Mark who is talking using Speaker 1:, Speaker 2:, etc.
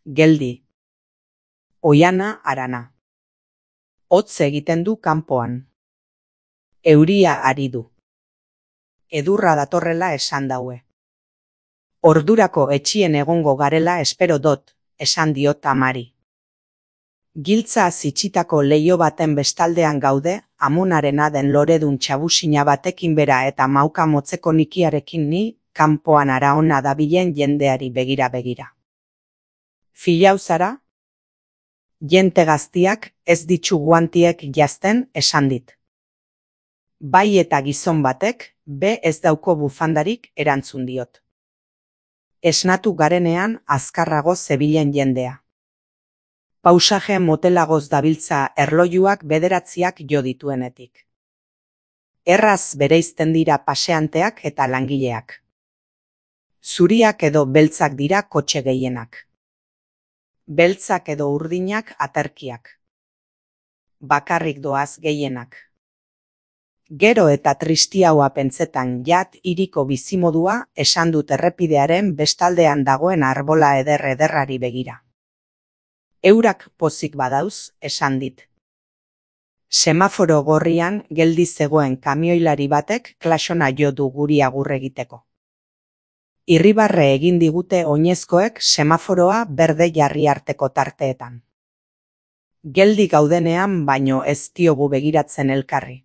Speaker 1: Geldi. Oiana harana. Hotz egiten du kanpoan. Euria ari du. Edurra datorrela esan daue. Ordurako etxien egongo garela espero dot, esan diot amari. Giltza zitsitako leio baten bestaldean gaude, amonarena den loredun txabusina batekin bera eta mauka motzeko nikiarekin ni, kanpoan araona dabilen jendeari begira. Filau zara? Jente gaztiak ez ditzu guantiek jazten esan dit. Bai eta gizon batek, be ez dauko bufandarik erantzun diot. Esnatu garenean azkarrago zebilen jendea. Pausaje motelagoz dabiltza erlojuak bederatziak jo dituenetik. Erraz bereizten dira paseanteak eta langileak. Zuriak edo beltzak dira kotxe gehienak. Beltzak edo urdinak aterkiak. Bakarrik doaz gehienak. Gero eta tristiaua pentsetan jat hiriko bizimodua esan dut errepidearen bestaldean dagoen arbola ederrari begira. Eurak pozik badauz, esan dit. Semaforo gorrian geldi zegoen kamioilari batek klasona jo du guri agur egiteko. Irribarre egin digute oinezkoek semaforoa berde jarri arteko tarteetan. Geldi gaudenean baino ez diogu begiratzen elkarri.